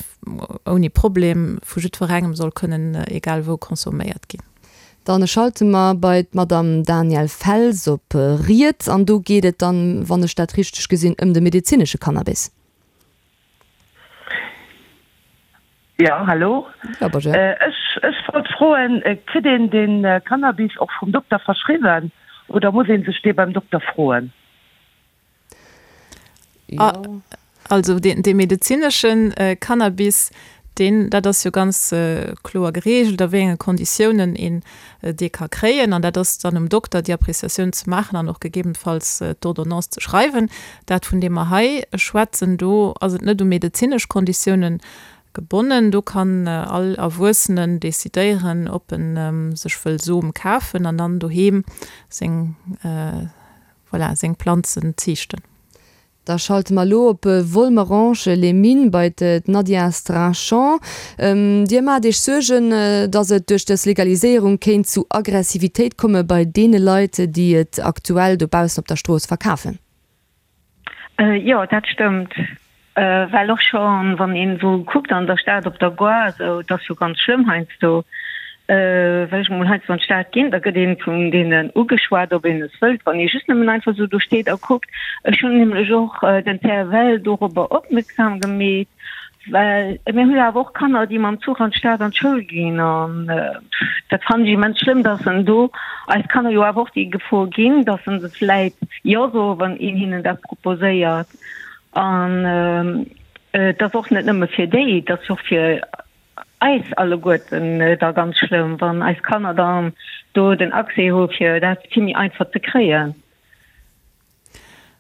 ouni Problem vu jiddwerengem soll kënnen egal wou consomméiert ginn. Dann schalte mer bei d'Madame Danièle Fels op Ried an do geet et dann, wann ech dat richteg gesinn, ëm de medezinesche Cannabis. Jo, hallo. Ech ech wollt froen, kritt een den Cannabis och vum Dokter verschriwwen oder muss een sech dee beim Dokter froen? Also dee dee medezineschen Cannabis, deen, dat ass jo ganz kloer gereegelt, a wéi enge Konditiounen een dee ka kréien. An dat ass dann um Dokter, déi Appréciatioun ze maachen an och gegebenfalls d'Ordonnance ze schreiwen. Dat, vun deem mer hei schwätzen, do ass et net u medezinesch Konditiounen gebonnen. Do kann all Erwuessenen decidéieren, ob en sech wëll Som kafen an dann doheem seng, voilà, seng Planzen ziichten. Da schalte mer elo op Volmerange-les-Mines bei d'Nadia Strachan. Dir maacht Iech Suergen, datt et duerch dës Legaliséierung kéint zu Aggressivitéit komme bei deene Leit, déi et aktuell dobaussen op der Strooss verkafen. Jo, dat stëmmt. Well och schonn, wann een esou kuckt an der Stad op der Gare, esou, et ass jo ganz schlëmm heiansdo, well ech emol heiansdo an d'Stad ginn, da gëtt een vun deenen ugeschwat, ob een es wëllt, wann ee just nëmmen einfach esou do steet a kuckt. Ech hunn nämlech och den CFL dorobber opmierksam gemeet, well mir hu jo awer och Kanner, déi mam Zuch an d'Stad an d'Schoul ginn an dat fannen ech immens schlëmm, dass en do eis Kanner jo awer och déi Gefor ginn, dass se vläit Jo soen, wann een hinnen dat proposéiert. An et ass och net nëmme fir déi, et ass och fir eis alleguerten da ganz schlëmm, wann eis Kanner dann do den Accès hu fir dat vill méi einfach ze kréien.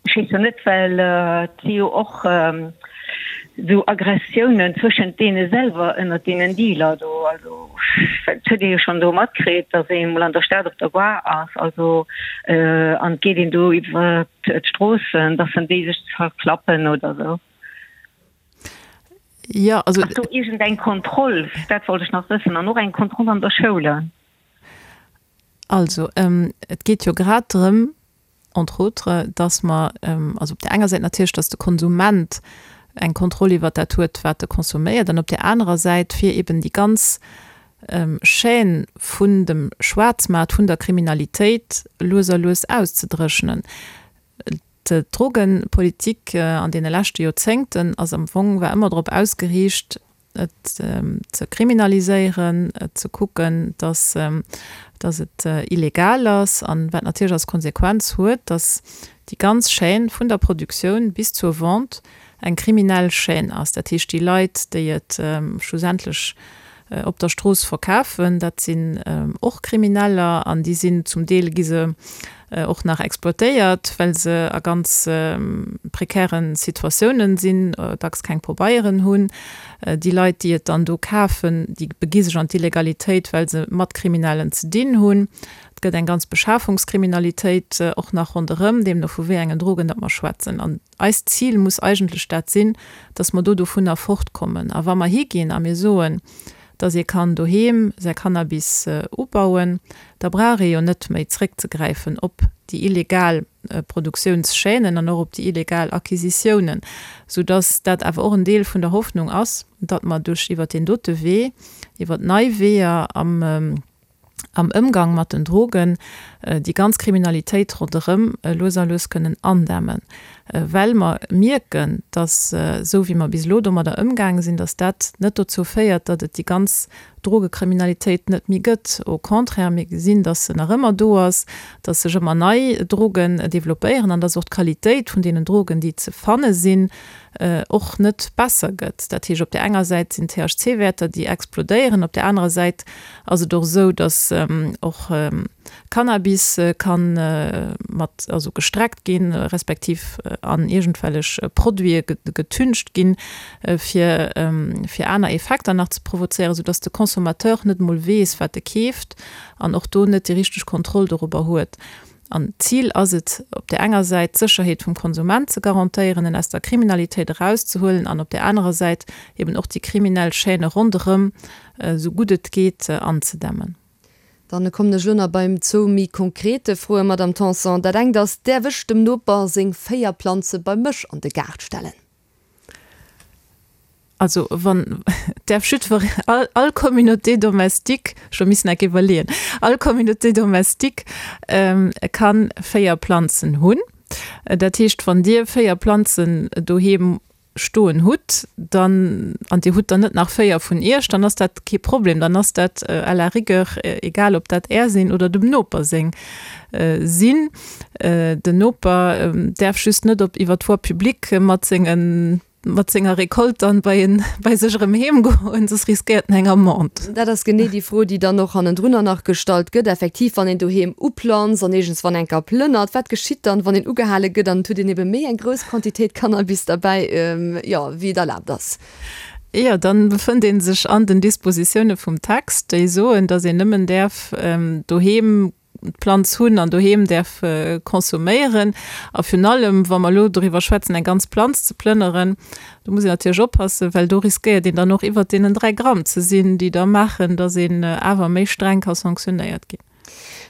Ech weess jo net, well et si jo och esou Aggressiounen zwëschent deene selwer, ënnert deenen Dealer do. Also dat huet ee jo schonn do matkritt, datt ee mol an der Stad op der Gare ass, also an et geet een do iwwer d'Stroossen, datt en déi sech zerklappen oder esou. Jo, also. Ass do iergend eng Kontroll? Dat wollt ech nach wëssen. An och eng Kontroll an der Schoule. Also, et geet jo grad drëm, entre autres, dass mer, also op där enger Säit natierlech, dass de Konsument eng Kontroll iwwert dat huet, wat e consomméiert, an op där anerer Säit, fir eben déi ganz Chaîne vun dem Schwaarzmaart, vun der Kriminalitéit lues a lues auszedréchnen. D'Drogenpolitik an deene leschte Joerzéngten ass am Fong, war ëmmer drop ausgeriicht, et ze kriminaliséieren, et ze kucken, dass, dass et illegal ass, an wat natierlech als Konsequenz huet, dass déi ganz Chaîne vun der Produktioun bis zur Vente eng kriminell Chaîne ass. Dat heescht, déi Leit, déi et schlussendlech op der Strooss verkafen, dat sinn och Krimineller an déi sinn zum Deel gi se och nach exploitéiert, well se a ganz prekären Situatiounen sinn, dacks keng Pobeieren hunn. Déi Leit, déi et dann do kafen, déi begi sech an d'Illegalitéit, well se mat Kriminellen ze dinn hunn. Et gëtt eng ganz Beschafungskriminalitéit och nach ronderëm, deemno vu wéi engen Drogen datt mer schwätzen. An eist Zil muss eigentlech dat sinn, datt mer do dovunner fortkommen. A wa mer higinn a mir soen, datt ee kann doheem säi Cannabis ubauen, da brauch ee jo net méi zréckzegräifen op déi illegal Produktiounschaînen an och op déi illegal Acquisitiounen, soudatt dat awer och en Deel vun der Hoffnung ass, datt mer duerch iwwert deen dote Wee, iwwert nei Weeër am am Ëmgang mat den Drogen, déi ganz Kriminalitéit ronderëm lues a lues kënnen andämmen, well mer mierken, datt esou wéi mer bis elo domadder ëmgaange sinn, datt dat net dozou féiert, datt et déi ganz Drogekriminalitéit net méi gëtt. Au contraire, mir gesinn, datt se nach ëmmer do ass, datt sech ëmmer nei Drogen developpéieren an datt och d'Qualitéit vun deenen Drogen, déi ze fanne sinn, och net besser gëtt. Dat heescht, op där enger Säit sinn d'T H C-Wäerter, déi explodéieren, op där anerer Säit ass et och esou, datt och Cannabis ka mat, also gestreckt ginn, respektiv an iergendwellech Produite getüncht ginn, fir fir aner Effekter nach ze provozéieren, soudatt de Consommateur net emol weess, wat e keeft an och do net déi richteg Kontroll dorobber huet. An d'Zil ass et, op där enger Säit d'Sécherheet vum Konsument ze garantéieren, en aus der Kriminalitéit erauszehuelen, an op där anerer Säit eben och déi kriminell Chaîne ronderëm esou gutt et geet anzedämmen. Dann kommen ech elo nach beim zwou méi konkrete Froen, Madame Tanson. Dat engt ass, Däerf ech dem Noper seng véier Planze bei mech an de Gaart stellen? Also wann däerf jiddwer all all Communauté domestique, ech hu missen enk iwwerleeën, all Communauté domestique kann véier Planzen hunn. Dat heescht, wann Dir véier Planzen doheem stoen hutt, dann, an Dir hutt der net nach véier vun Iech, dann ass dat kee Problem, dann ass dat à la rigueur egal, ob dat Är sinn oder dem Noper seng sinn. Den Noper däerf just net op iwwer d'Voie publique mat sengen mat senger Recolte dann bei en bei sech erëm heem goen, soss riskéiert en eng Amende. Dat ass genee déi Fro, déi dann och hannendrunner nach gestallt gëtt, effektiv, wann een doheem uplanzt an iergendswann eng Kéier plënnert, wat geschitt dann, wann een ugehale gëtt an et huet een ebe méi eng grouss Quantitéit Cannabis derbäi, jo, wéi et erlaabt ass? Jo, dann befënnt ee sech an den Dispositioune vum Text, déi soen, dass een nëmmen däerf doheem d'Planz hunn an doheem däerf consomméieren. A virun allem, wa mer elo doriwwer schwätzen, eng ganz Planz ze plënneren, do muss een natierlech oppassen, well do riskéiert een dann och iwwert deenen dräi Gramm ze sinn, déi da maachen, datt een awer méi streng ka sanktionéiert ginn.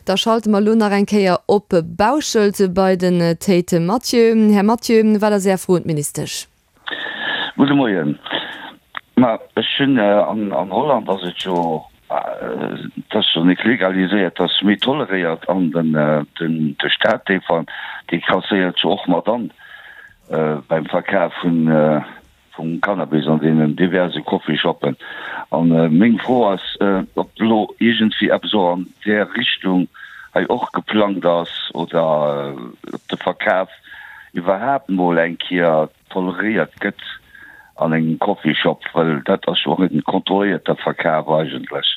Da schalte mer elo nach eng Kéier op Bauschelt bei den Théite Mathieu. Här Mathieu, wat ass Är Fro un d'Ministesch? Gudde Moien. Ma ech hunn an an Holland ass et jo, et ass jo nik legaliséiert, et ass méi toleréiert an den den de Staat dee ver dee kasséiert jo och mat an beim Verkaf vun vum Cannabis an deenen diverse Coffeeshoppen. An meng Fro ass, ob elo iergendwéi eppes och an där Richtung hei och geplangt ass oder ob de Verkaf iwwerhaapt mol eng Kéier toleréiert gëtt an engem Coffeeshop, well dat ass jo och en kontrolléierter Verkaf eigentlech.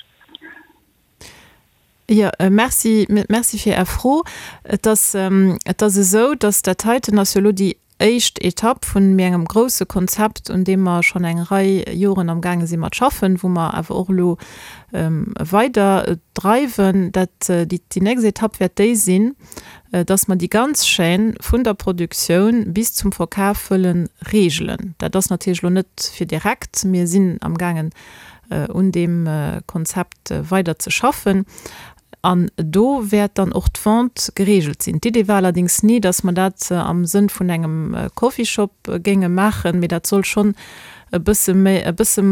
Jo, merci, merci fir Är Fro. Et ass, et ass esou, dass dat heiten ass jo elo déi éischt Etapp vun méi engem grouse Konzept, un deem mer schonn eng Rei Joren amgaange si mat schaffen, wou mer awer och elo weider dreiwen. Dat, déi, déi nächst Etapp wäert déi sinn, dass mer déi ganz Chaîne vun der Produktioun bis zum Verkaf wëlle regelen. Dat ass natierlech elo net fir direkt. Mir sinn amgaangen, un deem Konzept weider ze schaffen. An do wäert dann och d'Vente geregelt sinn. D'Idee war allerdéngs ni, dass mer dat am Sënn vun engem Coffeeshop géinge maachen, mee dat soll schonn e bësse méi, e bësse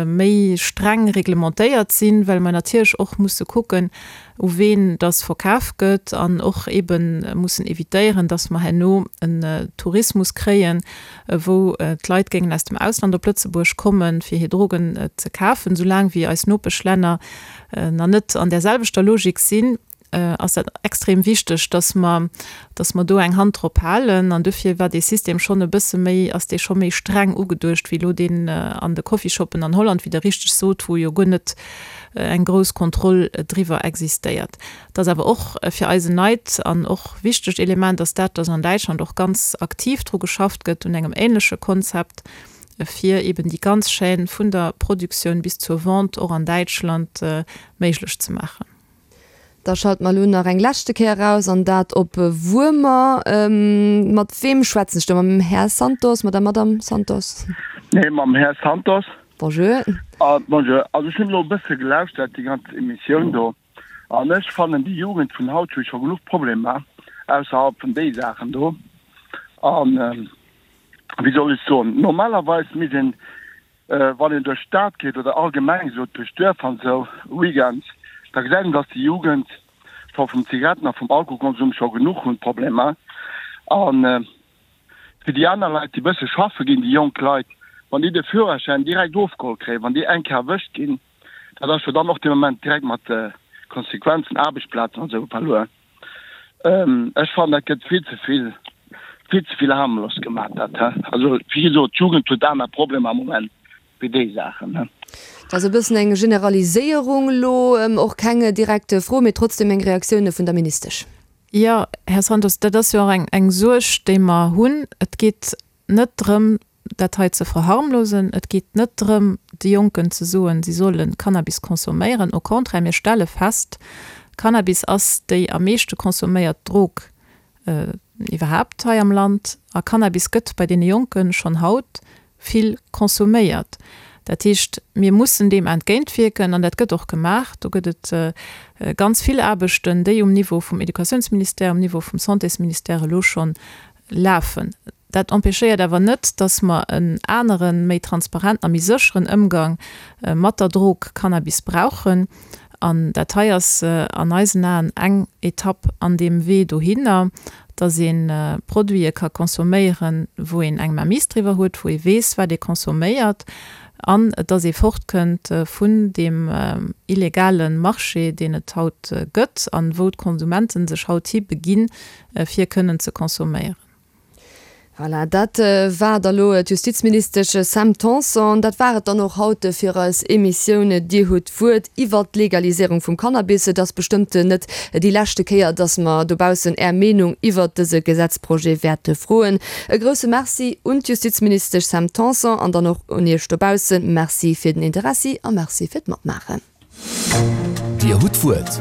méi streng reglementéiert sinn, well mer natierlech och musse kucken, u ween dass verkaf gëtt an och eebe mussen evitéieren, dass mer herno en Tourismus kréien, wou d'Leit géingen aus dem Ausland op Lëtzebuerg kommen, fir hir Drogen ze kafen. Soulaang wéi eis Nopeschlänner nach net an där selwechter Logik sinn, ass dat extrem wichteg, dass mer, dass mer do eng Hand drop halen. An dofir war dee System schonn e bësse méi, ass dee scho méi streng ugeduecht wéi elo deen an de Coffeeshoppen an Holland, wéi Der richteg sot, wou jo guer net eng grouss Kontroll driwwer existéiert. Et ass awer och fir eis en neit an och wichtegt Element ass dat, dass an Däitschland och ganz aktiv dru geschafft gëtt un engem ähnleche Konzept, fir eben déi ganz Chaîne vun der Produktioun bis zur Vente och an Däitschland méiglech ze maachen. Da schalte mer elo nach eng leschte Kéier eraus, an dat op Wuermer. Mat weem schwätzen ech do? Mam Här Santos, mat der Madame Santos? Nee, mam Här Santos. Bonjour. Bonjour. Also ech hunn elo e bësse gelauschtert, déi ganz Emissioun do, an ech fannen, déi Jugend vun haut huet scho genuch Problemer ausserhalb vun déi Saachen do. An wéi soll ech soen, normalerweis misst een, wann een duerch d'Stad geet oder allgemeng esou duerch d'Duerf an esou weekends, da gesäit een, dass déi Jugend scho vum Zigaretten a vum Alkoholkonsum scho genuch hunn, Problemer. An fir déi aner Leit, déi bësse schaffe ginn, déi jonk Leit, wann déi de Führerschäin direkt ofgeholl kréien, wann déi eng Kéier erwëscht ginn, dat ass jo dann och dee Moment direkt mat Konsequenzen, Aarbechtsplazen an esou verluer. Ech fannen, dat gëtt vill ze vill, vill ze vill harmlos gemaach, dat. Also, wéi gesot, d'Jugend huet aner Problemer am Moment wéi déi Saachen. Dat ass e bëssen eng Generaliséierung elo, och keng direkt Fro, mee trotzdem eng Reaktioun vun der Ministesch. Jo, Här Santos, dat ass jo och eng, eng Suerg, déi mer hunn. Et geet net drëm, dat hei ze verharmlosen. Et geet net drëm, de Jonken ze soen, si solle Cannabis consomméieren. Au contraire, mir stelle fest, Cannabis ass déi am meeschte consomméiert Drog iwwerhaapt hei am Land. A Cannabis gëtt bei deene Jonke schonn haut vill consomméiert. Dat heescht, mir mussen deem entgéintwierken an dat gëtt och gemaach. Do gëtt et ganz vill Aarbechten, déi um Niveau vum Educatiounsministère, um Niveau vum Santésministère elo schonn lafen. Dat empêchéiert awer net, dass mer en aneren, méi transparenten a méi sécheren Ëmgang mat der Drog Cannabis brauchen. An dat hei ass an eisen Aen eng Etapp an deem Wee dohinner, dass ee Produite ka consomméieren, wou een eng Mainmise driwwer huet, wou ee weess, wat ee consomméiert, an dass ee fortkënnt vun deem illegale Marché, deen et haut gëtt an wou d'Konsumente sech haut hi beginn, fir kënnen ze consomméieren. Voilà, dat war da lo d'Justizministesch Sam Tanson. Dat war et dann och haut fir eis Emissioun Dir hutt d'Wuert iwwert d'Legaliséierung vum Cannabis. Et ass bestëmmt net déi leschte Kéier, dass mer dobaussen Är Meenung iwwert dëse Gesetzprojet wäerte froen. E grousse Merci un d'Justizministesch Sam Tanson an dann och un Iech dobaussen. Merci fir den Interessi a Merci fir d'Matmaachen. Dir hutt d'Wuert.